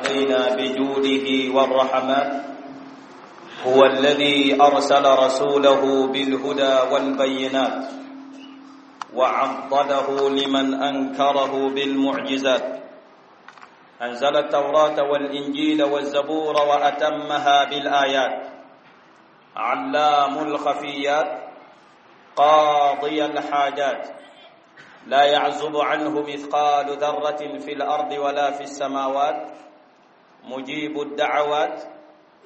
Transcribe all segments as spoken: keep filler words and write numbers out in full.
علينا بجوده والرحمات. هو الذي أرسل رسوله بالهدى والبينات وعضده لمن أنكره بالمعجزات. أنزل التوراة والإنجيل والزبور وأتمها بالآيات. علام الخفيات، قاضي الحاجات، لا يعزب عنه مثقال ذرة في الأرض ولا في السماوات، مجيب الدعوات،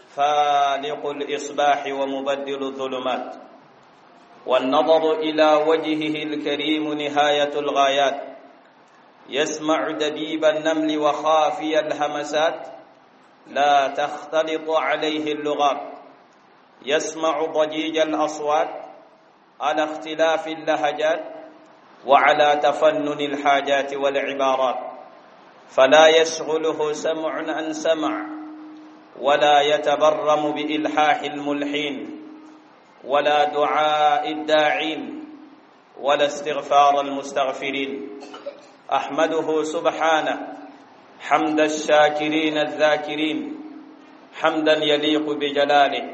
فالق الإصباح ومبدل الظلمات. والنظر إلى وجهه الكريم نهاية الغايات، يسمع دبيب النمل وخافي الهمسات، لا تختلط عليه اللغات، يسمع ضجيج الأصوات على اختلاف اللهجات وعلى تفنن الحاجات والعبارات، فلا يشغله سمع عن سمع، ولا يتبرم بإلحاح الملحين، ولا دعاء الداعين، ولا استغفار المستغفرين. أحمده سبحانه حمد الشاكرين الذاكرين، حمدا يليق بجلاله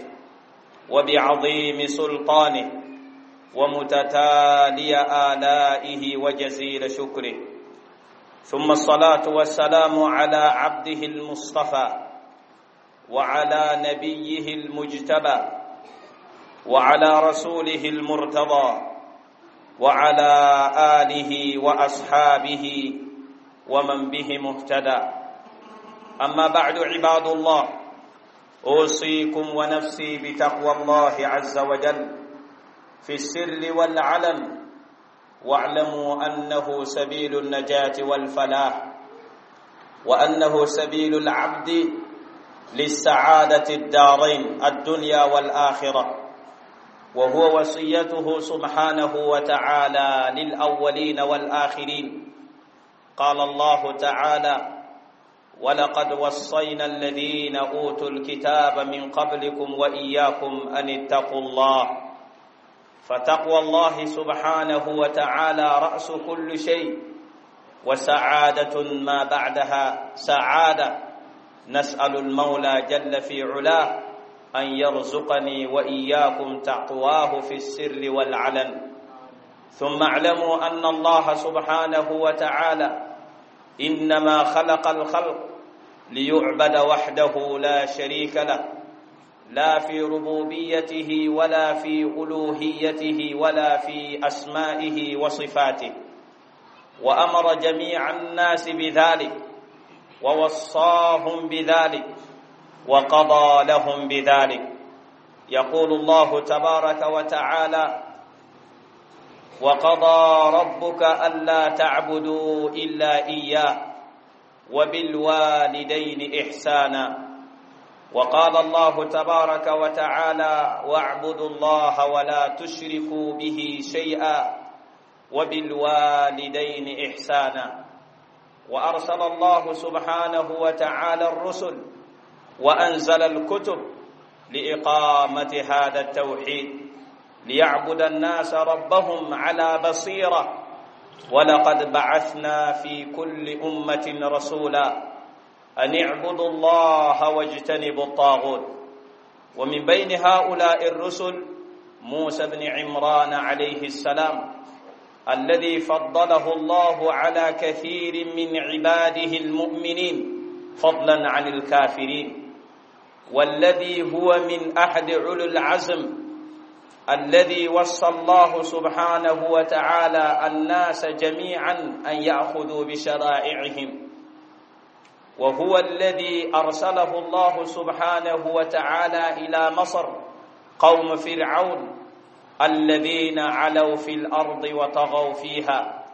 وبعظيم سلطانه ومتتالي آلائه وجزيل شكره. ثم الصلاة والسلام على عبده المصطفى وعلى نبيه المجتبى وعلى رسوله المرتضى وعلى آله وأصحابه ومن به مهتدى. أما بعد، عباد الله، أوصيكم ونفسي بتقوى الله عز وجل في السر والعلن، واعلموا أنه سبيل النجاة والفلاح، وأنه سبيل العبد للسعادة الدارين الدنيا والآخرة، وهو وصيته سبحانه وتعالى للأولين والآخرين. قال الله تعالى: ولقد وصينا الذين أوتوا الكتاب من قبلكم وإياكم أن اتقوا الله. فتقوى الله سبحانه وتعالى رأس كل شيء، وسعادة ما بعدها سعادة. نسأل المولى جل في علاه أن يرزقني وإياكم تقواه في السر والعلن. ثم اعلموا أن الله سبحانه وتعالى إنما خلق الخلق ليعبد وحده لا شريك له، لا في ربوبيته ولا في ألوهيته ولا في أسمائه وصفاته، وأمر جميع الناس بذلك ووصاهم بذلك وقضى لهم بذلك. يقول الله تبارك وتعالى: وقضى ربك ألا تعبدوا إلا إياه وبالوالدين إحسانا. وقال الله تبارك وتعالى: واعبدوا الله ولا تشركوا به شيئا وبالوالدين إحسانا. وأرسل الله سبحانه وتعالى الرسل وأنزل الكتب لإقامة هذا التوحيد، ليعبد الناس ربهم على بصيرة. ولقد بعثنا في كل أمة رسولا أن اعبدوا الله واجتنبوا الطاغوت. ومن بين هؤلاء الرسل موسى بن عمران عليه السلام، الذي فضله الله على كثير من عباده المؤمنين فضلا عن الكافرين، والذي هو من أحد علو العزم، الذي وصى الله سبحانه وتعالى الناس جميعا أن يأخذوا بشرائعهم، وهو الذي أرسله الله سبحانه وتعالى إلى مصر قوم فرعون الذين علوا في الأرض وطغوا فيها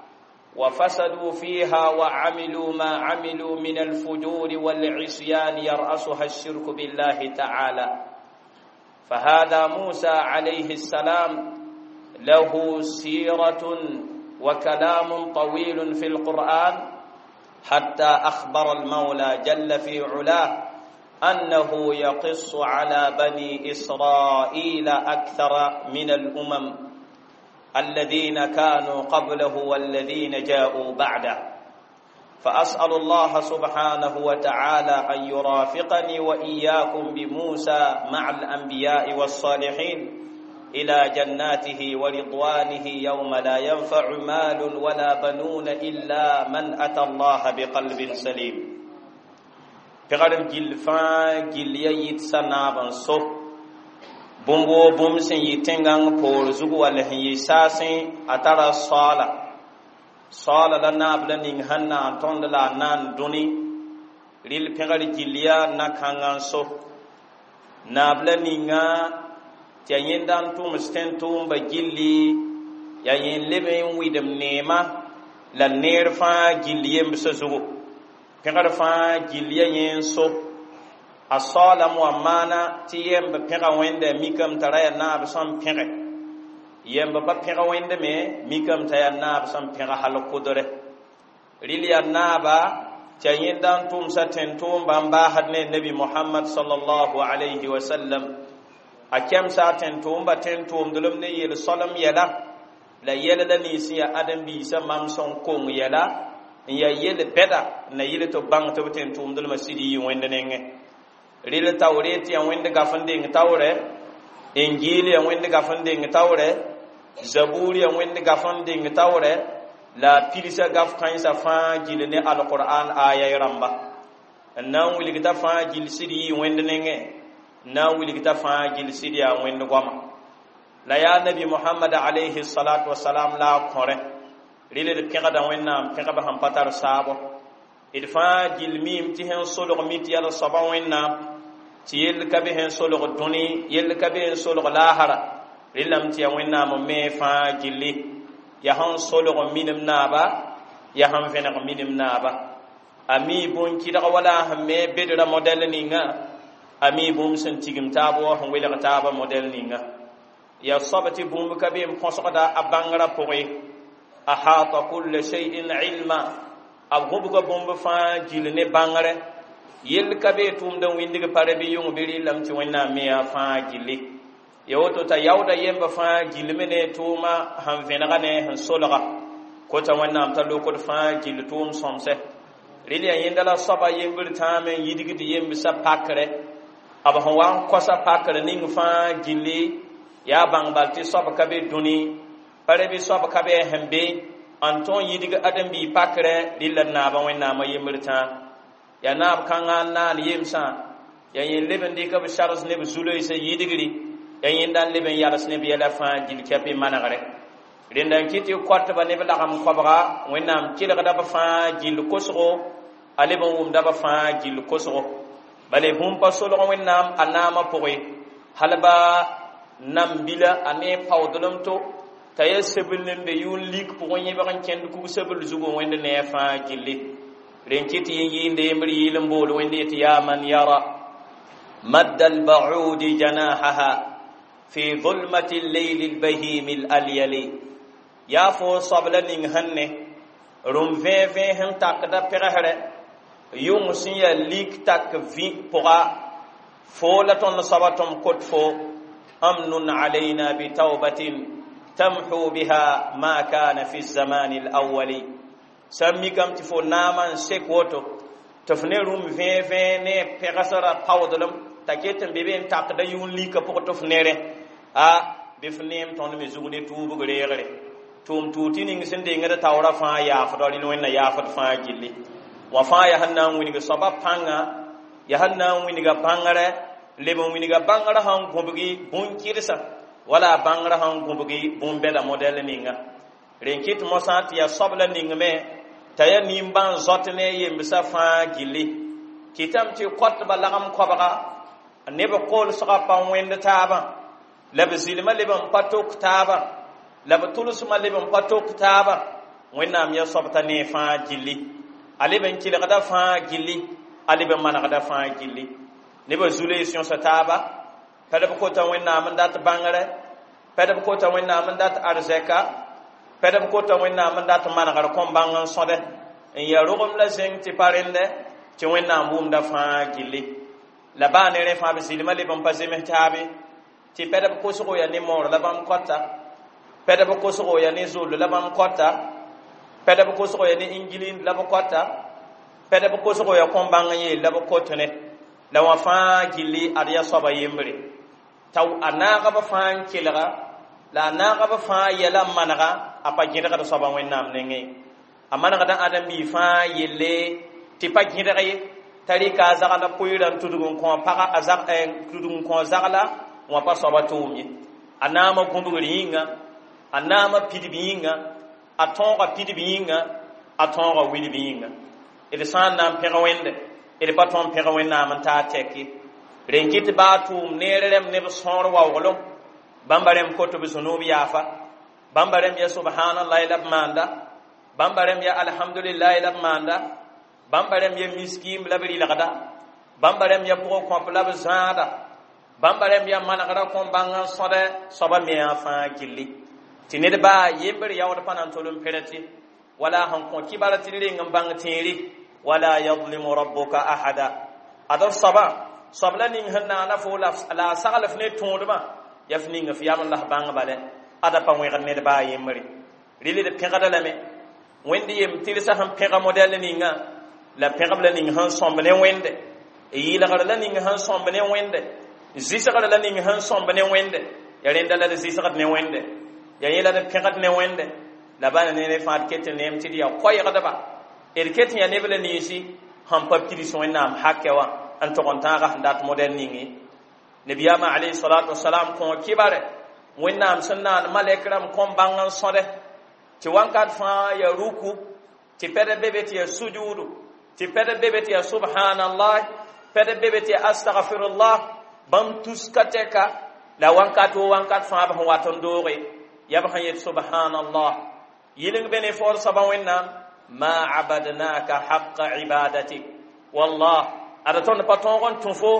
وفسدوا فيها وعملوا ما عملوا من الفجور والعصيان يرأسها الشرك بالله تعالى. فهذا موسى عليه السلام له سيرة وكلام طويل في القرآن، حتى أخبر المولى جل في علاه أنه يقص على بني إسرائيل أكثر من الأمم الذين كانوا قبله والذين جاءوا بعده. فأسأل الله سبحانه وتعالى أن يرافقني وإياكم بموسى مع الأنبياء والصالحين إلى جناته ورضوانه يوم لا ينفع مال ولا بنون إلا من أتى الله بقلب سليم. Pẽgr gill fãa gill ya yit sa naab n so bũmb woo bũmb sẽn yɩ tẽngãng poor zug wall sẽn yɩ saasẽ a tara saoola saoola la naab la ning sẽn na n tõnd la a naan dũni rɩl pẽgr gill ya na-kãngã n so naab la ninga tɩ ya yẽnda n tʋms tẽn-tʋʋmba gilli ya yẽ leb n wɩdem neema la neer fãa gill yembsã zugu pẽgr fãa gill ya yẽ n so a saoolame wa maana tɩ yemb pẽga wẽnda mikame t'a ra yaa naab sẽn pẽge yemb pa pẽg wẽnd me mikame t'a yaa naab sẽn pẽg hal kʋdre rɩl yaa naaba tɩ a yẽnda n tʋmsa tẽn-tʋʋmba n baasd ne nabi Mohamad sallallahu alayhi wa sallam a kɛmsa a tẽn-tʋʋmba tẽn-tʋʋmdlem ne yel-solem yɛla la yɛl la nins sẽn yaa ãdem-biisã mam sẽn kong yɛla n yaa yel bɛda na yɩl tɩ b bãng tɩ b tẽn-tʋʋmdlmã sɩd yɩ wẽnd nengẽ rɩl taoret yaa wẽnd gaf n deng taoorɛ injil yaa wẽnd gaf n deng taoorɛ zabur yaa wẽnd gaf n deng taoorɛ la a pilsa gaf kãensã fãa gil ne alqur'an aya rãmba n na n wilgta fãa gil sɩd yɩ wẽnd nengẽ n na n wilgta fãa gil sɩd yaa wẽnd goama la yaa nabi Mohamad alayhi salatu wasalam la a kõrẽ rɩl d pẽgda wẽnnaam pẽgb sẽn pa tar saabo d fãa gil miime tɩ sẽn solg mi tɩ yaa soaba wẽnnaam tɩ yell ka be sẽn solg dũni yell ka be sẽn solg laasra rɩlame tɩ yaa wẽnnaam n me fãa gilli yaa sẽn solg minim naaba yaa sẽn vẽneg minim naaba a mi bũn-kɩdg wala a sẽn me bedra modɛl ninga a mi bũmb sẽn tigim taab wa sẽn welg taabã modɛl ninga yaa soab tɩ bũmb ka be n põsgda a bãngrã pʋgẽ ahata kulla shay'in ilma a gũbga bũmb fãa gil ne bãngre yell ka be tʋʋmd n wĩndg pare bɩ yʋng bɩ rɩlame tɩ wẽnnaam me yaa fãa gilli ya woto t'a yaooda yemba fãa gilme ne tʋʋma sẽn vẽnega ne sẽn solga kota wẽnnaam t'a lokd fãa gill tʋʋm sõmsɛ rɩl yaa yẽnda la soaba yembr tãame n yidgd yembsã pakrɛ b sẽn wa n kosa pakr ning fãa gilli yaa bãng bal tɩ soab ka be dũni pare bɩ soab ka be sẽn be n tõe n yidg ãdem-biig pakrɛ rɩl la naabã wẽnnaamã yembr tãa yaa naab kãngã n naan yemsã yaa yẽ leb n dɩk b sars ne b zu-loeesã yidgri yaa yẽnda n leb n yals ne b yɛla fãa gil kɛp y manegre rẽnda n kɩ tɩ koatba ne b lagem koabga wẽnnaam kelgda b fãa gill kosgo a leb n wʋmda b fãa gill kosgo bale bũmb pa solg wẽnnaam a naamã pʋgẽ hal ba nam-bila a ne paoodlem to t'a yaa sebl n be yʋʋn lik pʋgẽ yẽbg n kẽnd kug-sebl zugu wẽnd ne a fãa gilli rẽn kɩ tɩ yẽ yɩɩnde yembr yɩɩl n bool wẽnd yetɩ yaa man yara madda albaudi janahaha fi zulmati lleyli lbahimi lalyali yaa fo soab la ning sẽn ne rũm vẽe-vẽe sẽn takda pɛgsrɛ yʋng sẽn yaa lik tak vĩ pʋga fo la tõnd soaba tõm kot fo amnun alayna bitawbatin tamhu biha ma kana fi zamani alawali sã n mikame tɩ fo naamã n sek woto tɩ f ne rũm vẽe-vẽe ne pɛgsrã paoodlem t'a ket n be be n takda yʋʋn lika pʋgẽ tɩ f nerẽ a bɩ f neem tõnd me zug ne tuubg reegre tʋʋm tuug tɩ ning sẽn dengd taoorã fãa yaafda rɩl wẽnna yaafd fãa gilli wã fãa yaa sẽn na n wilg soabã pãnga yaa sẽn na n wilga bãngrɛ leb n wilga bãngrã sẽn gõbgi bũn-kɩdsã wala a bãngrã sẽn gõbgi bũn-bɛda modɛl ninga rẽn kɩt mosã tɩ yaa soab la ningme t'a yaa nimbãan zɔt ne yembsã fãa gilli kɩtame tɩ koatba lagem koabga neb koolsgã pa wẽnd taabã la b zɩlmã leb n pa tok taabã la b tʋlsmã leb n pa tok taabã wẽnnaam yaa soab t'a ne fãa gilli a leb n kelgda fãa gilli a leb n manegda fãa gilli nebã zu-loees yõsa taaba pɛd b kota wẽnnaam n dat bãngrɛ pɛd b kota wẽnnaam n dat arzɛka pɛd b kota wẽnnaam n dat manegr kõn-bãng n sõdɛ n yaa rogem la zẽng tɩ pa rẽndɛ tɩ wẽnnaam wʋmda fãa gilli la baa ne rẽ fãa b zɩlmã leb n pa zems taabe tɩ pɛd b kosgo yaa ne moor la bãmb kɔta pɛd b kosgo yaa ne zoll la bãmb kɔta pɛd b kosgo yaa ne ingilind la b kɔta Pɛdb kosgo ya kõn-bãng n yeel la b kot ne la wã fãa gilli ad yaa soaba yembre t'a a naagb fãa n kelga la a naagb fãa yɛla n manega a pa gẽdgd soaba Wẽnnaam nengẽ a manegda ãdem-biig fãa yelle tɩ pa gẽdg ye t'a rɩka a zagla pʋɩɩrã n tudg n kõ paga a zag tudg n kõ zagla wã pa soaba tʋʋm ye a naama gũbgr yĩnga a naama pidb yĩnga a tõoga pidb yĩnga a tõoga wilb yĩnga d sã n na n pẽg Wẽnde d pa tõe n pẽg Wẽnnaam n taa tɛk ye rẽn kɩt baa tʋʋm neer rẽmb neb sõor waooglem bãmba rẽmb kot b zũnub yaafa bãmba rẽmb ya subhanallahi la b maanda bãmba rẽmb ya alhamdulillahi la b maanda bãmba rẽmb ya miskiim la b rɩlgda bãmba rẽmb ya pʋgẽ kõp la b zãada bãmba rẽmb ya manegda kõn-bãng n sõda soaba mea fãa gilli tɩ ned baa yembr yaood pa na n tol n pẽret ye wala sẽn kõ kibara tɩ d reng n bãng tẽeri wala yadlimu rabbuka ahada ad f soaba soab la ning sẽn naana fo la a sagl f ne tõodmã ya f ning f yam n la f bãng bala ada pa wẽgd ned baa yembre rɩl d pẽgda lame Wẽnd yem tɩrsa sẽn pẽga modɛl ninga la pẽgb la ning sẽn sõmb ne Wẽnde yɩlgr la ning sẽn sõmb ne Wẽnde zɩsgr la ning sẽn sõmb ne Wẽnde ya rẽnda la d zɩsgd ne Wẽnde ya yẽ la d pẽgd ne Wẽnde la bãna ne ne fãa d ket n neem tɩ d yaa koɛɛgdba d ket n yaa neb la ninsi sẽn pa pids Wẽnnaam hakɛ wã n tog n tãaga sẽn dat modɛl ninge nabiyaamã alayhi salatu wasalam kõ kibare Wẽnnaam sẽn naan malɛk rãmb kõn bãng n sõde tɩ wãnkat fãa ya ruku tɩ pɛd be be tɩ ya sujuudu tɩ pɛd be be tɩ ya subhanallah pɛd be be tɩ ya astagfirullah bãmb tuska tɛka la wãnkat wo wãnkat fãa b sẽn wat n dooge yaa b sẽn yet subhanallah yɩleng be ne foor soaba Wẽnnaam ma abadnaka haqa ibadatik wallah ada tõnd pa tõog n tũ fo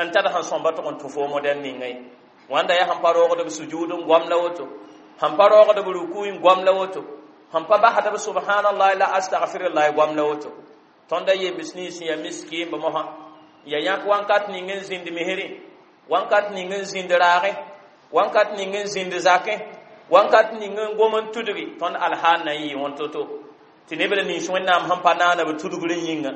n tad sẽn sõmba tʋg n tũ fo modɛl ninga ye wãnda yaa sẽn pa roogd b sujuud n goam la woto sẽn pa roogd b ruku n goam la woto sẽn pa basd b subhanallah la astagfirullah goam la woto tõnda yems nins ya miskiimb mosã ya yãk wãnkat ning n zĩnd misrẽ wãnkat ning n zĩnd raagẽ wãnkat ning n zĩnd zakẽ wãnkat ning n gom n tudgi tõnd alhaal na n yɩ wẽn to-to tɩ neb la nins Wẽnnaam sẽn pa naana b tudgr yĩnga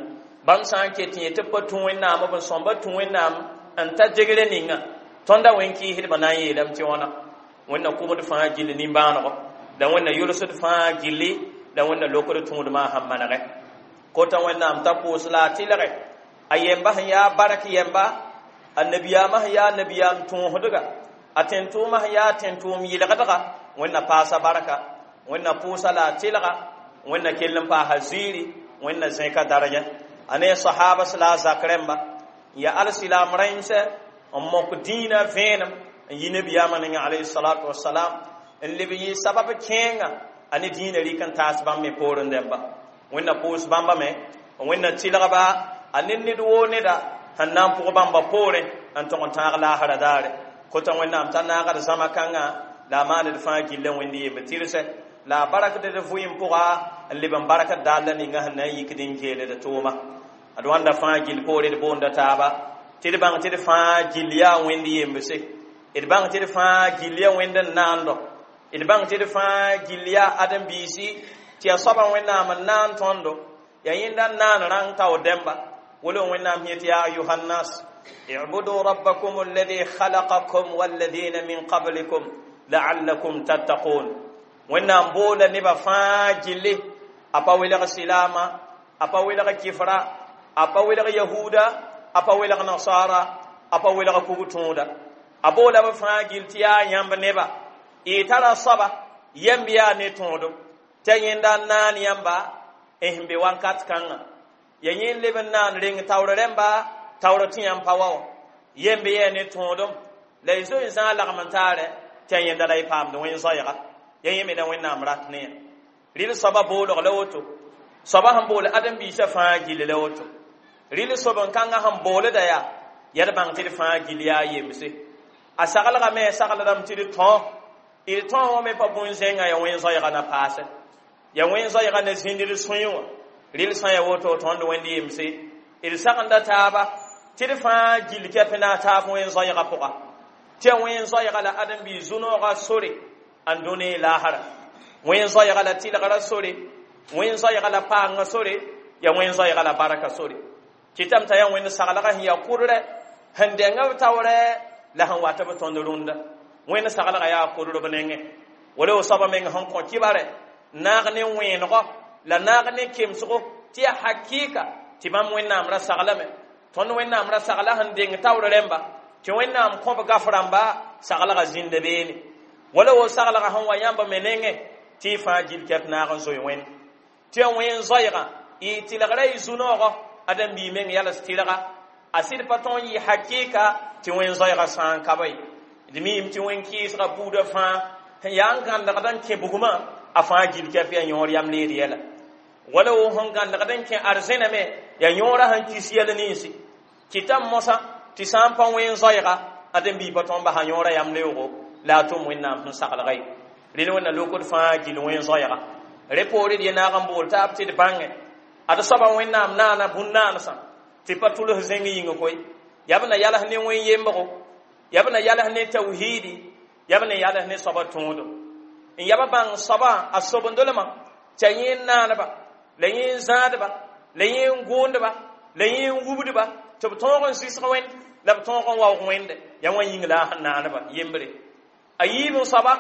bãmb sã n ket yẽ tɩ b pa tũ Wẽnnaam b n sõmba tũ Wẽnnaam n ta degre ninga tõnda wẽn kɩɩsdbã na n yeelame tɩ wãna Wẽnna kʋmd fãa gilli nimbãanego la Wẽnna yʋlsd fãa gilli la Wẽnna lokd tũudmã sẽn manegɛ kota Wẽnnaam t'a pʋʋs la a tɩlge a yemba sẽn yaa bark yemba a nabiyaamã sẽn yaa nabiyaam tõosdga a tẽn-tʋʋmã sẽn yaa tẽn-tʋʋm yɩlgdga Wẽnna paasa barka Wẽnna pʋʋsa la a tɩlga Wẽnna kell n paasa ziiri Wẽnna zẽka daraja a ne sahabas la a zak rẽmba n ya alsilaam rãimsɛ n mok dĩinã vẽenem n yi nabiyaamã ninga alayhi salatu wasalam n leb yɩ sabab kẽenga a ne dĩinã rɩk n taas bãmb me poorẽ dẽmba Wẽnna pʋʋs bãmba me Wẽnna tɩlgba a ne ned woo neda sẽn na n pʋg bãmba poorẽ n tog n tãag laasra daare kota Wẽnnaam t'a naagd zãma kãngã la a maand d fãa gilla Wẽnd yemb tɩrsɛ la a barakd d vʋɩɩm pʋga n leb n barakd dalla ninga sẽn na n yikd n geeld tʋʋma ad wãnda fãa gill poore d boonda taaba tɩ d bãng tɩ d fãa gill yaa Wẽnd yembse d bãng tɩ d fãa gill yaa Wẽnd n naando d bãng tɩ d fãa gill yaa ãdem-biisi tɩ yaa soabã Wẽnnaam n naan tõndo yaa yẽnda n naan rãng tao dẽmba wala Wẽnnaam yet ya ayuha nnas اعبدوا ربكم الذي خلقكم والذين من قبلكم لعلكم تتقون Wẽnnaam boola nebã fãa gilli a pa welg silaama a pa welg kifra a pa welg yahuda a pa welg nasara a pa welg kug-tõoda a boola b fãa gill tɩ yaa yãmb neba y tara soaba yɛmb yaa ne tõodem t'a yẽnda n naan yãmba n sẽn be wãnkat kãngã ya yẽ leb n naan reng taoor rẽmba taoor tɩ yãmb pa wa wã yemb yɛɛ ne tõodem la y zoe n zãag lagm n taarɛ tɩ a yẽnda la y paamd wẽn zoɛɛga ya yẽ me la Wẽnnaam rat ne yã rɩl soaba boolg la woto soaba sẽn bool ãdem-biisã fãa gill la woto rɩl sob n kãngã sẽn boolda yaa yaa d bãng tɩ d fãa gill yaa yemse a saglgame saglrame tɩ d tõ d tõ wã me pa bũn-zẽngã ya wẽn zoɛɛga na paasɛ ya wẽn zoɛɛga na zĩnd d sũyẽ wã rɩl sã ya woto tõnd Wẽnd yemse d sagenda taaba tɩ d fãa gill kɛp na a taab wẽn zoɛɛga pʋga tɩ ya wẽn zoɛɛga la ãdem-biis zu-noogã sore n dũni laasra wẽn zoɛɛga la tɩlgrã sore wẽn zoɛɛga la paangã sore Ya wẽn zoɛɛga la barka sore kɩtame t'a yaa wẽnd saglgã sẽn yaa kʋdrɛ sẽn dẽnga b taoorɛ la sẽn wat b tõnd rũndã wẽnd saglgã yaa kʋdr b nengẽ wala wo soaba meng sẽn kõ kɩbarɛ naag ne wẽenegɔ la naag ne kemsgo tɩ yaa hakɩɩka tɩ bãmb wẽnnaam ra saglame tõnd wẽnnaam ra sagla sẽn deng taoor rẽmba tɩ wẽnnaam kõ b gaf rãmba saglgã zĩnda beene wala wo saglgã sẽn wa yãmb me nengẽ tɩ y fãa gil kɛp naag n zoe wẽnd tɩ ya wẽn zoɛɛgã y tɩlgra y zu-noogɔ ãdem-biig meng yals tɩlga a sɩd pa tõog n yɩ hakɩɩka tɩ wẽn zoɛɛgã sã n ka ba ye d miime tɩ wẽn-kɩɩsgã buudã fãa sẽn yaa n gãndgd n kẽ bugmã a fãa gil kɛp yaa yõor yam leed yɛla wala wo sẽn gãndgd n kẽ arzẽna me yaa yõorã sẽn kis yɛl ninsi kɩtame mosã tɩ sã n pa wẽn zoɛɛga ãdem-biig pa tõog n basa yõorã yam leoogo la a tʋm wẽnnaam sẽn saglga ye rel wẽnna lokd fãa gil wẽn zoɛɛga re poore d ye naag n bool taab tɩ d bãngẽ ad soaba wẽnnaam naana bũn-naansã tɩ pa tʋls zẽng yĩng koe yaa b na yals ne wẽn yembgo yaa b na yals ne tawhiidi yaa b na yals ne soaba tõodem n yaa b bãng soaba a sobendlmã tɩ a yẽ n naaneba la yẽ n zãadba la yẽ n gʋʋndba la yẽ n wubdba tɩ b tõog n sɩsg wẽnd la b tõog n waoog wẽnde yaa wã yĩng la a sẽn naaneba yembre a yiib n soaba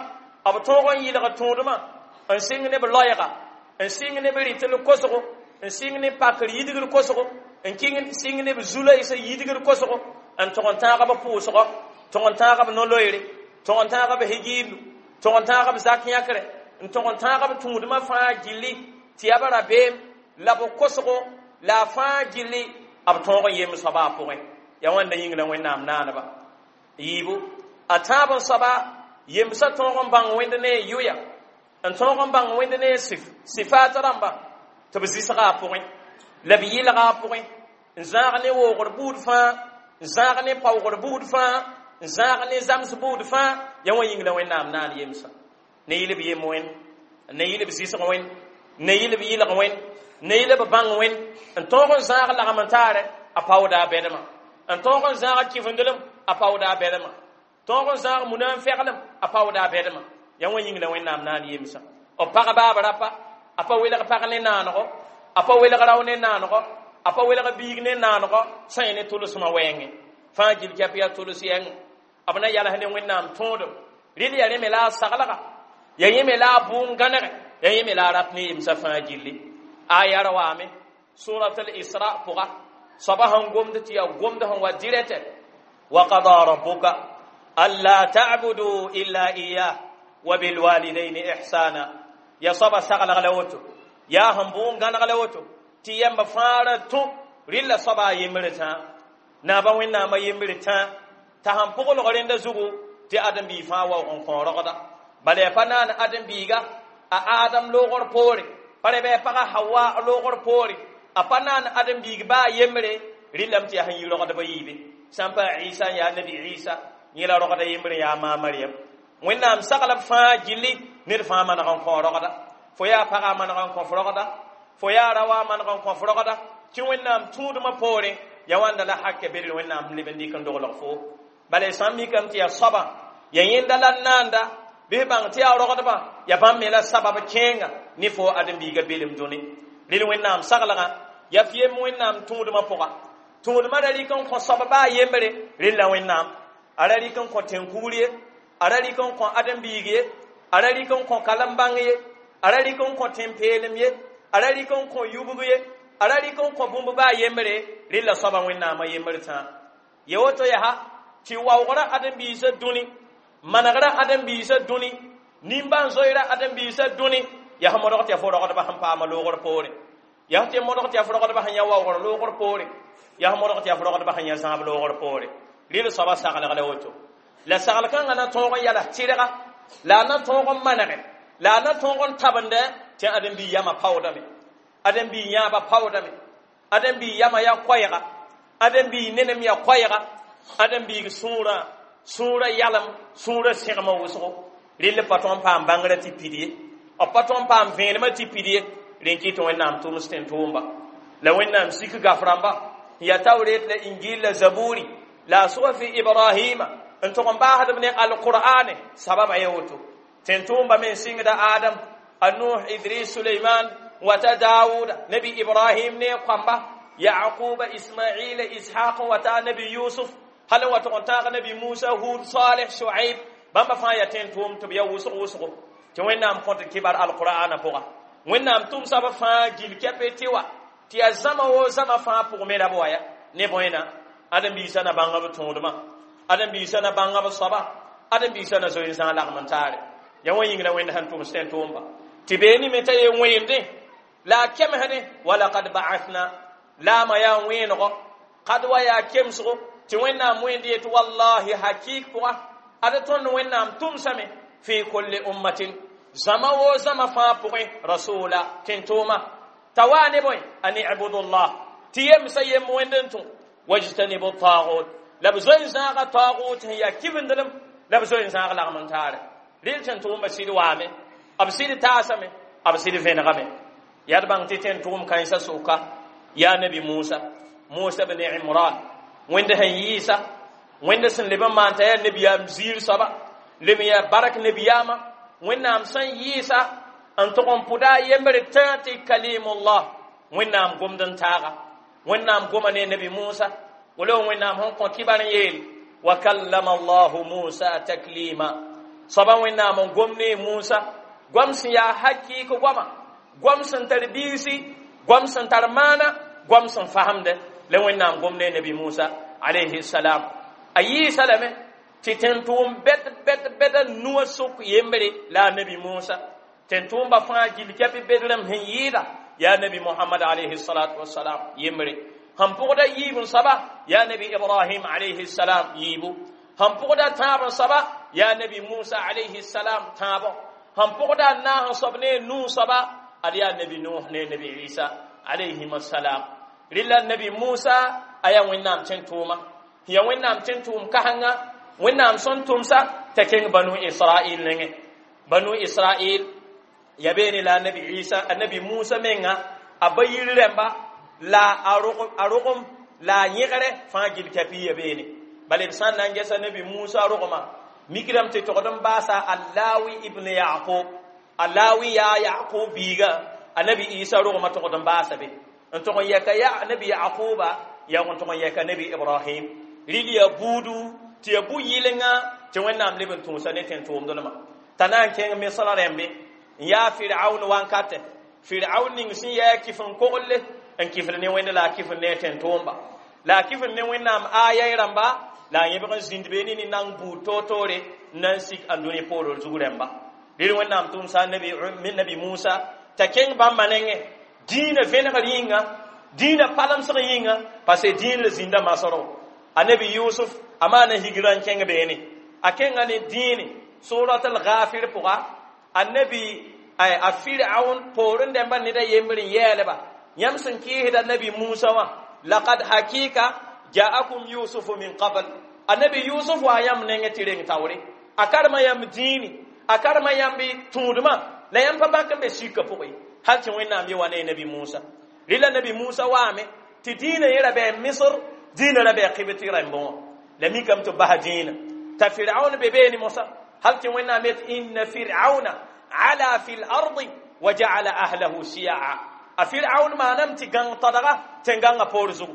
b tõog n yɩlg tõodmã n sɩng ne b loɛɛga n sɩng ne b rɩtl kosgo n sɩng ne pakr yidgr kosgo n kɩng sɩng ne b zu-loeesã yidgr kosgo n tog n tãag b pʋʋsgɔ tog n tãag b no-loeere tog n tãag b higiindu tog n tãag b zak yãkre n tog n tãag b tũudmã fãa gilli tɩ yaa b rabeem la b kosgo la a fãa gilli b tõog n yem soaba a pʋgẽ yaa wãnda yĩng la wẽnnaam naaneba yiibu a tãab n soaba yemsã tõog n bãng wẽnd ne a yʋya n tõog n bãng wẽnd ne a sif sifaat rãmba tɩ b zɩsga a pʋgẽ la b yɩlga a pʋgẽ n zãag ne woogr buud fãa n zãag ne paoogr buud fãa n zãag ne zams buud fãa yaa wã yĩng la wẽnnaam naan yemsã ne yɩl b yem wẽnd ne yɩl b zɩsg wẽnd ne yɩl b yɩlg wẽnd ne yɩl b bãng wẽnd n tõog n zãag lagm n taare a paooda a bɛdmã n tõog n zãag kɩfendelem a paooda a bɛdmã tõog n zãag muna n fɛglem a paooda a bɛdmã yaa wã yĩng la wẽnnaam naan yemsã b pag baab rapa a pa welg pag ne naanego a pa welg rao ne naanego a pa welg biig ne naanego sã yẽ ne tʋlsmã wɛɛngẽ fãa gil kɛp yaa tʋls yɛng b na yals ne wẽnnaam tõodem rɩl yaa rẽ me la a saglga yaa yẽ me la a bʋʋn gãnege yaa yẽ me la a rat ne yemsã fãa gilli aya ra waame surat al-isra pʋga soaba sẽn gomd tɩ yaa gomd sẽn wa dirɛtɛ وقضى ربك ألا تعبدوا إلا إياه وبالوالدين إحسانا ya soaba saglg la woto yaa sẽn bʋʋn gãneg la woto tɩ yãmb fãa ra tũ rɩlla soaba a yembre tã naaba wẽnnaamã yembre tã t'a sẽn pʋglg rẽnda zugu tɩ ãdem-biig fãa waoog n kõ rogda bala yaa pa naan ãdem-biiga a Adam loogr poore pa re bɩ a pagã Hawa loogr poore a pa naan ãdem-biig baa yembre rɩllame tɩ yaa sẽn yi rogdbã yiibe sã n pa Isa n yaa nabi Isa yẽ la rogda yembre yaa maa Mariam wẽnnaam sagl b fãa gilli ned fãa maneg n kõ rogda fo yaa pagã maneg n kõ f rogda fo yaa raoã maneg n kõ f rogda tɩ wẽnnaam tũudmã poorẽ yaa wãnda la hakɛ bedr wẽnnaam leb n dɩk n doglg fo bala sã n mikame tɩ yaa soabã yaa yẽnda la n naanda bɩ bãng tɩ yaa rogdbã yaa bãmb me la sabab kẽenga ne fo ãdem-biigã belem dũni rel wẽnnaam saglgã yaa f yem wẽnnaam tũudmã pʋga tũudmã ra rɩk n kõ soab baa yembre rel la wẽnnaam a ra rɩk n kõ tẽn-kugr ye a ra rɩk n kõ ãdem-biig ye a ra rɩk n kõ kalem bãng ye a ra rɩk n kõ tẽn-peelem ye a ra rɩk n kõ yubg ye a ra rɩk n kõ bũmb baa yembre rel la soabã wẽnnaamã yembr tã ya woto yaa tɩ waoogrã ãdem-biisã dũni manegrã ãdem-biisã dũni nimbãan-zoeerã ãdem-biisã dũni yaa sẽn modg tɩ yaa fo rogdbã sẽn paama loogr poore yaa tɩ modg tɩ yaa fo rogdbã sẽn yã waoogr loogr poore yaa sẽn modg tɩ yaa fo rogdbã sẽn yã zãab loogr poore rɩl soabã saglg la woto la sagl kãngã na tõog n yals tɩrga la a na tõog n manege la a na tõog n tabende tɩ ãdem-biig yamã paoodame ãdem-biig yãabã paoodame ãdem-biig yamã yaa koɛɛga ãdem-biig nenem yaa koɛɛga ãdem-biig sũurã sũurã yalem sũurã sẽgmã wʋsgo rɩl pa tõog n paam bãngrã tɩ pid ye b pa tõog n paam vẽenemã tɩ pid ye rẽn kɩt wẽnnaam tʋms tẽn-tʋʋmba la wẽnnaam sik gaf rãmba n yaa tawret la injil la zaburi la a sufi Ibrahima n tʋg n baasdb ne alqur'ane sababa ye woto tẽn-tʋʋmba me n sɩngda Adam a Nuh Idris Suleiman Wata Dawuda, Nabi Ibrahim ne kwamba, Yaquba, Ismaila, Ishaq wata Nabi Yusuf, hal wa tʋg n tãag Nabi Musa, Hud, Saleh, Shuaib, bãmba fãa yaa tẽn-tʋʋm tɩ b ya wʋsg wʋsgo tɩ Wẽnnaam kõt kibar alqur'ana pʋga. Wẽnnaam tʋmsa b fãa gil kɛpɛ tɩ wa tɩ yaa zãma wo zãma fãa pʋg me ra b wa ya ne bõena ãdem-biisã na bãnga b tõodmã, ãdem-biisã na bãnga b soaba, ãdem-biisã na zoe n zãag lagm n taare ya wã yĩng la Wẽnd sẽn tʋms tẽn-tʋʋmba tɩ beene me t'a ye wẽende la a kemsdẽ walakad ba'athna laamã yaa wẽenego kad wa yaa kemsgo tɩ Wẽnnaam wẽnd yet wallahi hakik pʋga ad tõnd Wẽnnaam tʋmsame fi kulli ummatin zãma wo zãma fãa pʋgẽ rasula tẽn-tʋʋma t'a waa ne bõe an ibudullah tɩ yemsã yem wẽnd n tũ wajtanibu tagut la b zoe n zãaga tagut sẽn yaa kibendlem la b zoe n zãag lagm n taare rɩl tẽn-tʋʋmba sɩd waame b sɩd taasame b sɩd vẽnegame yaa d bãng tɩ tẽn-tʋʋm kãensã sʋka yaa Nabi Musa, Musa bn Imran, Wẽnd sẽn yɩɩsa Wẽnd sẽn leb n maan t'a yaa nabiyaam ziir soaba leb n yaa bark nabiyaamã Wẽnnaam sẽn yɩɩsa n tʋg n pʋda a yembre tã tɩ kalimullah Wẽnnaam gomd n taaga Wẽnnaam goma ne Nabi Musa wala Wẽnnaam sẽn kõ kibar n yeel wa kallama Allahu Musa taklima soaba Wẽnnaam n gom ne Musa goam sẽn yaa hakɩɩk goama goam sẽn tar biisi goam sẽn tar maana goam sẽn fasemde la Wẽnnaam gom ne Nabi Musa alayhi salam a yɩɩsa lame tɩ tẽn-tʋʋm bɛd bɛd bɛd nuwã sʋk yembre la a Nabi Musa tẽn-tʋʋmba fãa gil kɛp bedrem sẽn yɩɩda yaa Nabi Muhammad alayhi salatu wasalam yembre sẽn pʋgda yiib n soaba yaa Nabi Ibrahim alayhi salam yiibu sẽn pʋgda tãab n soaba yaa Nabi Musa alayhi salam tãabo sẽn pʋgda n naas n soab ne Nuh soaba ad yaa Nabi Nuh ne Nabi Isa alayhim assalam rɩla Nabi Musa a yaa Wẽnnaam tẽn-tʋʋma ya Wẽnnaam tẽn-tʋʋm kasengã Wẽnnaam sẽn tʋmsa t'a kẽng Banu Israil nengẽ Banu Israil ya beene la Nabi Isa a Nabi Musa menga a ba yir rẽmba la a rogem la a yẽgre fãa gil kapi ya beene bala b sã n na n gesa Nabi Musa rogema mikrame tɩ togd n baasa Allawi ibn Yaqub Allawi yaa Yaqub biiga a Nabi Isa rogema togd n baasa be n tog n yɛka ya Nabi Yaquba yaa n tog n yɛka Nabi Ibrahim rɩl yaa buudu tɩ yaa bu-yɩlenga tɩ Wẽnnaam leb n tũusa ne tẽn-tʋʋmdlmã t'a na n kẽng Misra rẽmbe n yaa Firaun wankatɛ Firaun ning sẽn yaa kɩf n koglle n kɩfd ne Wẽnd la a kɩfd ne a tẽn-tʋʋmba la a kɩfd ne Wẽnnaam aya rãmba la a yẽbg n zĩnd beene ne nang buud toor-toore n na n sik ãndũni poord zug rẽmba rɩl Wẽnnaam tʋmsa Nabi Musa t'a kẽng bãmba nengẽ dĩinã vẽnegr yĩnga dĩinã palemsg yĩnga parce que dĩin la zĩnda masro a Nabi Yusuf a maana higrã n kẽng beene a kẽnga ne dĩine surat al-Ghafir pʋga a Nabi a Firaun poorẽ dẽmba ned a yembr n yɛɛlba yãmb sẽn kɩɩsda Nabi Musa wã laqad hakika ja'akum Yusufu min qabl a Nabi Yusuf wa yãmb nengẽ tɩ reng taoore a karema yãmb dĩini a karema yãmb tũudmã la yãmb pa bãk n be sika pʋgẽ hal tɩ Wẽnnaam ye wa ne Nabi Musa rɩla Nabi Musa waame tɩ dĩinã yẽ ra bɩ Misr dĩinã ra bɩ Qibti rãmbẽ wã la mikame tɩ bas dĩinã t'a Firaun be beene mosã hal tɩ Wẽnnaam yet inna Firauna ala fi l-ardi wa ja'ala ahlahu shiya'a a Firaun maaname tɩ gãng tadga tẽn-gãngã poor zugu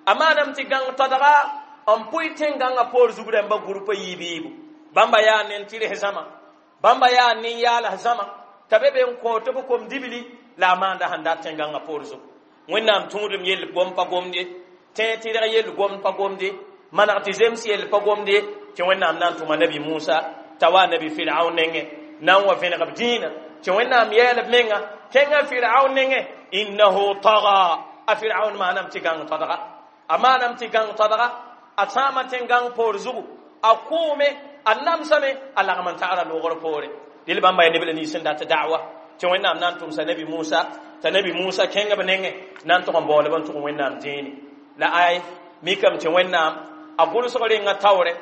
a maaname tɩ gãng tadga n pʋɩ tẽn-gãngã poor zug rãmba gʋrpa yiib-yiibu bãmba yaa nen-tɩrs zãma bãmba yaa nin-yaals zãma t'a be be n kõot b kom-dibli la a maanda sẽn dat tẽn-gãngã poor zugu Wẽnnaam tũudem yell gom pa gomd ye tẽ tɩrg yell gomd pa gomd ye maneg tɩ zems yell pa gomd ye tɩ Wẽnnaam na n tʋma Nabi Musa t'a wa Nabi Firaun nengẽ na n wa vẽneg b dĩinã tɩ Wẽnnaam yɛɛl b menga kẽngã Firaun nengẽ innahu taga a Firaun maaname tɩ gãng tadga a maaname tɩ gãng tadga a sãama tẽn-gãng poor zugu a kʋʋme a namsame a lagm n tagra loogr poore dɩl bãmba yaa neb la nins sẽn dat da'wa tɩ Wẽnnaam na n tʋmsa Nabi Musa t'a Nabi Musa kẽng b nengẽ na n tʋg n baoolb n tʋg Wẽnnaam dĩini la ay mikame tɩ Wẽnnaam a gʋlsg renga taoore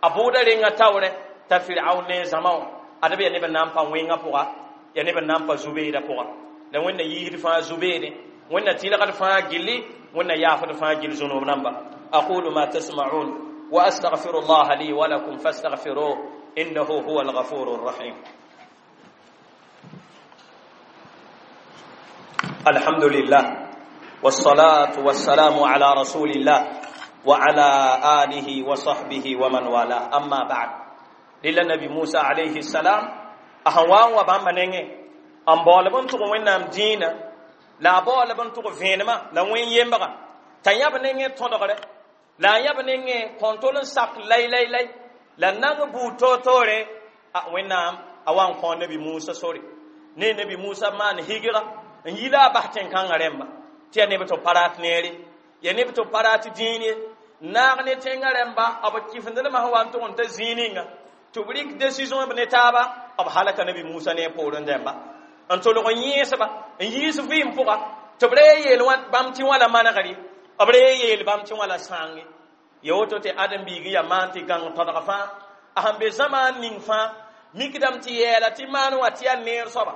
a bʋʋda renga taoore t'a Firaun ne zãma wã ad b yaa neb n na n pa wẽngã pʋga yaa neb n na n pa zu-beedã pʋga la Wẽnna yiisd fãa zu-beede Wẽnna tɩlgd fãa gilli Wẽnna yaafd fãa gill zũnub namba aqulu ma tasma'un wa astaghfiru llaha li wa lakum fastaghfiruh innahu huwa alghafuru rrahim. الحمد لله والصلاة والسلام على رسول الله وعلى آله وصحبه ومن والاه أما بعد لله نبي موسى عليه السلام أهوان وبام نينge أم بول بن تغ وينام دينا لا بول بن تغ فينما لا وين يمبغا تنياب نينge تودغره لا ياب نينge كونتول ساك لاي لاي لاي لا نang bu totore a wẽnnaam a wa n kõ nabi musa sore ne nabi musa maan higra n yi la a bas tẽn-kãngã rẽmba tɩ yaa neb tɩ b pa rat neere ya neb tɩ b pa rat dĩin ye naag ne tẽngã rẽmba b kifendlmã sẽn wa n tʋg n ta zĩig ninga tɩ b rɩk décision b ne taaba b halaka nabi musa ne a poorẽ dẽmba n tolg n yẽesba n yiis vɩɩm pʋga tɩ b ra yeel bãmb tɩ wã la manegr ye b ra yeel bãmb tɩ wã la sãange ya woto tɩ ãdem-biig n yaa maan tɩ gãng tõdg fãa a sẽn be zãmaan ning fãa mikdame tɩ yɛɛla tɩ maan wã tɩ yaa neer soaba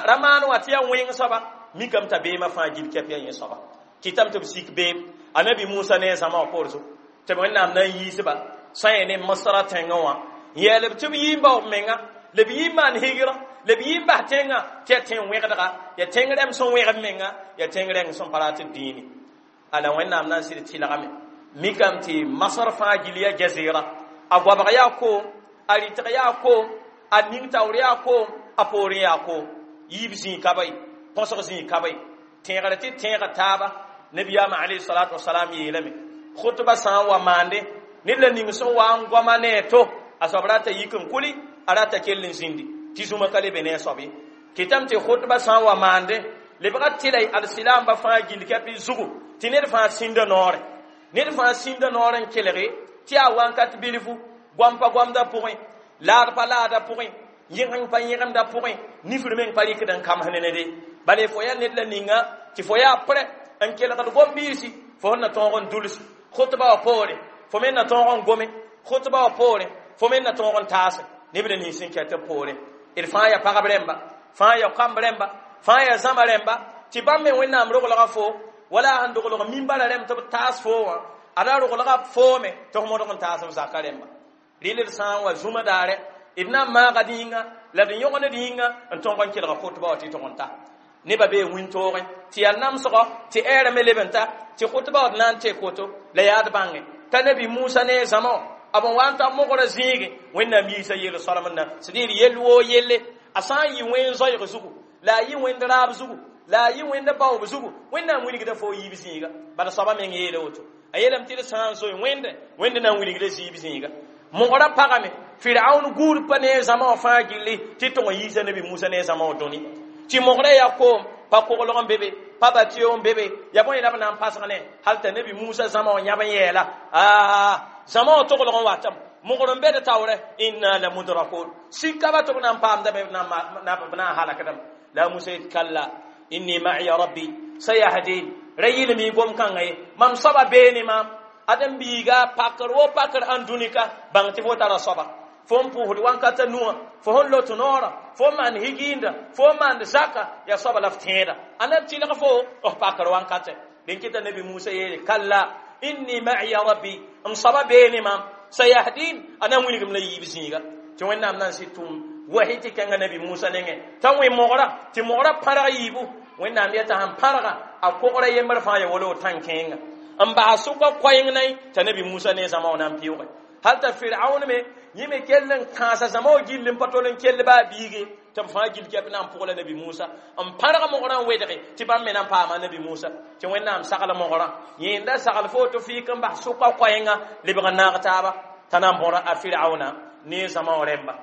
ra maan wã tɩ yaa wẽng soaba mikame t'a beemã fãa gil kɛp yaa yẽ soaba kɩtame tɩ b sik beem anabi musa ne a zãma wã poor zugu tɩ b wẽnnaam na n yiisba sã yẽ ne masra tẽngã wã n yɛɛl b tɩ b yii n bao b menga la b yii n maan higra la b yii n bas tẽngã tɩ yaa tẽng wẽgdga yaa tẽng rẽm sẽn wẽg b menga yaa tẽng rẽng sẽn pa rat dĩini ala wẽnnaam na n sɩd tɩlgame mikame tɩ masr fãa gil yaa jazira a goabg yaa koom a rɩtg yaa koom a ning taoor yaa koom a poorẽ yaa koom yiib zĩig ka ba ye põsg zĩig ka ba ye tẽegr tɩ tẽega taaba nabiyaamã alayhi salatu wasalam yeelame khutba sã n wa maande ned la ning sẽn wa n goama ne a to a soab rata yik n kuli a rata kell n zĩndi tɩ zũma ka le be ne a soab ye kɩtame tɩ khutba sã n wa maande lebga tɩla alsilaamba fãa gill kɛp zugu tɩ ned fãa sĩnda noore ned fãa sĩnda noor n kelge tɩ yaa wãnkat bilfu goam pa goamda pʋgẽ laad pa laada pʋgẽ yẽgeng pa yẽgemda pʋgẽ nifr meng pa rɩkd n kamsd nede bala fo yaa ned la ninga tɩ fo yaa prɛ n kelgd gom-biisi fo sẽn na tõog n duls khutba wã poore fo me na tõog n gome khutba wã poore fo me na tõog n taase neb la nins n kɛt b poore d fãa yaa pagb rẽmba fãa yaa kamb rẽmba fãa yaa zãma rẽmba tɩ bãmb me wẽnnaam roglga fo wala a sẽn doglg mimbara rẽmb tɩ b taas fo wã ada roglga foome tɩ f modg n taas b zaka rẽmba rɩl d sã n wa zũma daare d na n maaga d yĩnga la d yõgnd yĩnga n tõog n kelga khutba wã tɩ tʋg n ta nebã bee wĩntoogẽ tɩ yaa namsgɔ tɩ ɛɛrã me leb n ta tɩ khutba wã d na n tek woto la yaa d bãnge t'a nabi musa ne a zãma wã b n wa n ta mogrã zĩige wẽnnaam yiisa yel soalem na c'est-à-dire yell woo yelle a sã n yɩ wẽn zoeeg zugu la a yɩ wẽnd raab zugu la a yɩ wẽnd baoob zugu wẽnnaam wilgda fo yiib zĩiga bala soaba meng yeela woto a yeelame tɩ d sã n zoe wẽnde wẽnd na n wilgda zĩib zĩiga mogrã pagame firaun guud pa ne a zãma wã fãa gilli tɩ tʋg n yiisa nabi musa ne a zãma wã dũni tɩ mogrã yaa koom pa koglg n be be pa batio n be be ya bõe la b na n pasg ne hal t'a nabi musa zãma wã yãb n yɛɛla aa zãma wã toglg n watame mogr n be d taoorɛ inna la mudrakun sika ba tɩ b na n paamdame b na n halakdame la musa yet kalla inni ma'iya rabbi sayahdin ra yɩlem y gom-kãngã ye mam soaba beene maam ãdem-biiga pakr wo pakr ãn dũnika bãng tɩ fo tara soaba fo n pʋʋsd wãnkata nuwã fo sẽn lot noorã fo n maan higiinda fo n maand zaka yaa soaba la f tẽeda a na tɩlg fo f pakr wãnkatɛ dẽn kɩta nabi musa yeele kalla inni ma'iya rabbi m soaba beene maam sayahdin a na n wilgem la yiib zĩiga tɩ wẽnnaam na n sɩd tʋm wahi tɩ kẽnga nabi musa nengẽ t'a wẽ mogrã tɩ mogrã pãrg yiibu wẽnnaam yeta sãn pãrga a kogra yembr fãa ya wala tãn-kẽenga n bas sʋka koɛɛng nay t'a nabi musa ne zãma wã na n pɩʋge hal t'a firaun me yẽ me kell n kãasa zãma wã gill n pa tol n kell baa biige tɩ b fãa gil kɛp na n pʋgla nabi musa n pãrg mogrã n wedge tɩ bãmb me na n paama nabi musa tɩ wẽnnaam sagl mogrã yẽnda sagl fo tɩ fɩɩk n bas sʋka koɛɛnga lebg n naag taaba t'a na n bõra a firauna ne zãma wã rẽmba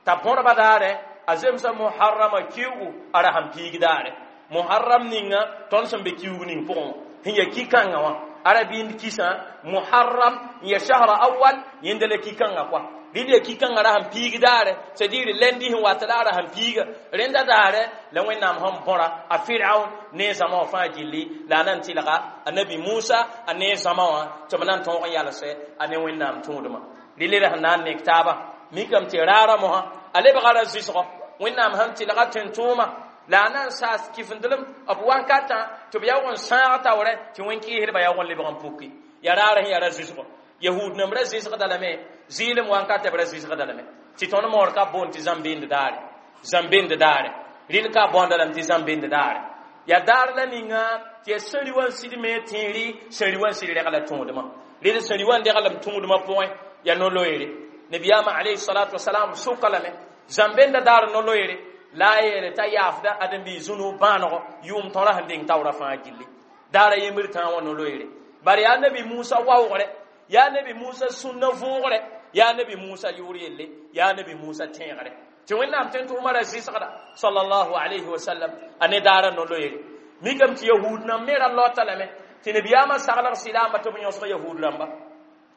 t'a bõrba daare a zemsa muharrama kiugu a ra sẽn piig daare muharram ninga tõnd sẽn be kiuug ning pʋgẽ wã sẽn ya ki-kãngã wã ara bĩnd kisã muharram n ya shahra awal yẽnda la ki-kãngã koa rɩl ya ki-kãngã ra sẽn piig daare c'est à dire lendi sẽn wat la a ra sẽn piiga rẽnda daare la wẽnnaam sẽn bõra a firaun ne a zãma wã fãa gilli la a na n tɩlga a nabi musa a ne a zãma wã tɩ b na n tõog n yalsɛ a ne wẽnnaam tũudmã rɩl d sẽn na n nek taaba mikame tɩ raara mosã a lebga ra zɩsgɔ wẽnnaam sẽn tɩlga tẽn-tʋʋma la a na n saas kifendlem b wankatã tɩ b yaoog n sãag taoorɛ tɩ wẽn-kɩɩsdbã yaoog n lebg n puki ya raar sẽn yaa ra zɩsgɔ yahud nemb ra zɩsgda lame zɩɩlem wankatɛ b ra zɩsgda lame tɩ tõnd moor ka boond tɩ zãmb-beend daare zãmb-beend daare rɩl ka bõonda lame tɩ zãmb-beend daare Ya daar la ninga tɩ ya sẽri wã n sɩd me tẽeri sẽri wã n sɩd rɛg la tõodmã red sẽri wã n deglem tõodmã pʋgẽ ya no-loeere nabiyaamã alayhi salatu wasalam sʋka lame zãmbenda daar no-loeere la a yeele t'a yaafda ãdem-biis zũnug bãanego yʋʋm tõra sẽn deng taoora fãa gilli daara yembr tãa wã no-loeere bare yaa nabi musa waoogre yaa nabi musa sũnna vʋʋgre yaa nabi musa yʋʋr yelle yaa nabi musa tẽegre tɩ wẽnnaam tõe n tʋ umara zɩsgda sallallahu alayhi wa sallam a ne daara no-loeere mikame tɩ yahud nãmb me ra laota lame tɩ nabiyaamã saglg sɩlaamba tɩ b yõsg yahud rãmba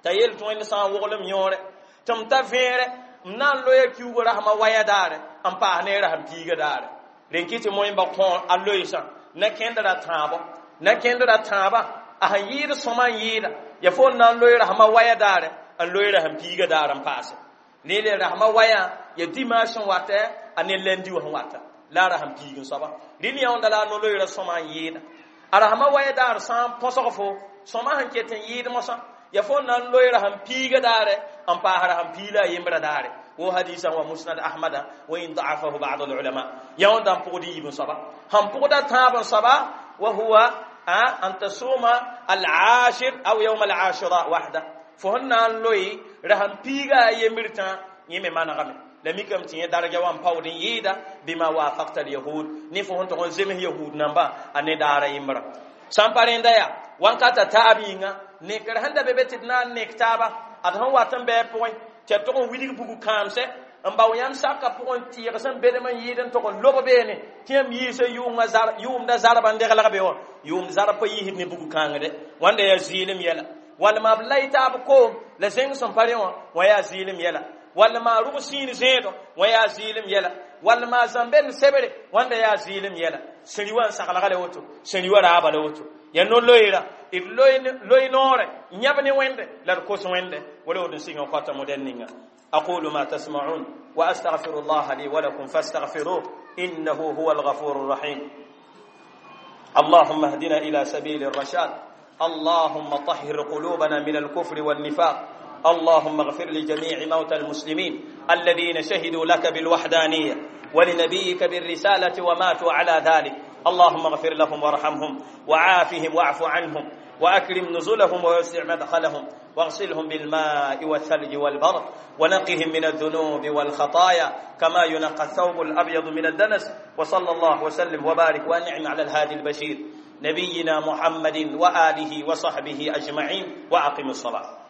t'a yeel tɩ wẽnd sã n woglem yõore tɩ m ta vẽere m na n loya kiugo rasmã waya daare n paas ne rasm piiga daare rẽn kɩ tɩ moẽmba kõ a loeesã na kẽnd ra tãabo na kẽnd ra tãabã a sẽn yɩɩd sõma n yɩɩda ya fo n na n loe rasmã waya daare n loe rasm piiga daar n paase ne le rasmã waya ya dimanche sẽn wata a ne lundi wã sẽn wata la a rasm piig n soaba rɩl yãonda la a no-loeera sõma n yɩɩda a rasmã waya daar sã n põsg fo sõma sẽn ket n yɩɩd mosã ya fo na n loe rasm piiga daare n paas rasm piila a yembra daare wo hadisa wa musnad ahmada wa in da'afahu ba'd al ulama yãonda n pʋgd yiib n soaba sẽn pʋgda tãab n soaba wa huwa an tasuma al ashir aw yawm al ashura wahda fo sẽn na n loe rasm piiga a yembr tã yẽ me manegame la mikame tɩ yẽ darga wã n paood n yɩɩda bima wafakta al yahud ne fo sẽn tog n zems yahud namba a ne daara yembra sã n pa rẽnda yaa wãnkata taab yĩnga nekr sẽn da be be tɩ d na n nek taaba ad sẽn wat n bɩ pʋgẽ tɩ a tog n wilg bugu kãamsɛ n bao yãmb saka pʋgẽ tɩɩg sẽn bedem n yɩɩd n tog n lob beene tɩ yãmb yiisa yʋʋmda zarba n deglg be wã yʋʋmd zarb pa yiisd ne bugu kãngde wãnda yaa zɩɩlem yɛla wall maa b lay taab koom la zẽng sẽn pa rẽ wã wã yaa zɩɩlem yɛla wall maa rʋg sĩin zẽedo wã yaa zɩɩlem yɛla wall maa zãmbend sebre wãnda yaa zɩɩlem yɛla sẽri wã n saglga la woto sẽri wã raaba la woto ya no-loeera d loe noore yãb ne wẽnde la d kos wẽnde wala wod n sɩng n kõta modɛl ninga aqulu ma tasma'un wa astaghfiru allaha li wa lakum fastaghfiruh innahu huwa alghafur الرحيم اللهم اهدنا إلى سبيل الرشاد اللهم طهر قلوبنا من الكفر والنفاق اللهم اغفر لجميع موتى المسلمين الذين شهدوا لك بالوحدانية ولنبيك بالرسالة وماتوا على ذلك اللهم اغفر لهم وارحمهم وعافهم واعف عنهم وأكرم نزلهم ووسع مدخلهم واغسلهم بالماء والثلج والبرد ونقهم من الذنوب والخطايا كما ينقى الثوب الأبيض من الدنس وصلى الله وسلم وبارك وأنعم على الهادي البشير نبينا محمد وآله وصحبه أجمعين وأقم الصلاة.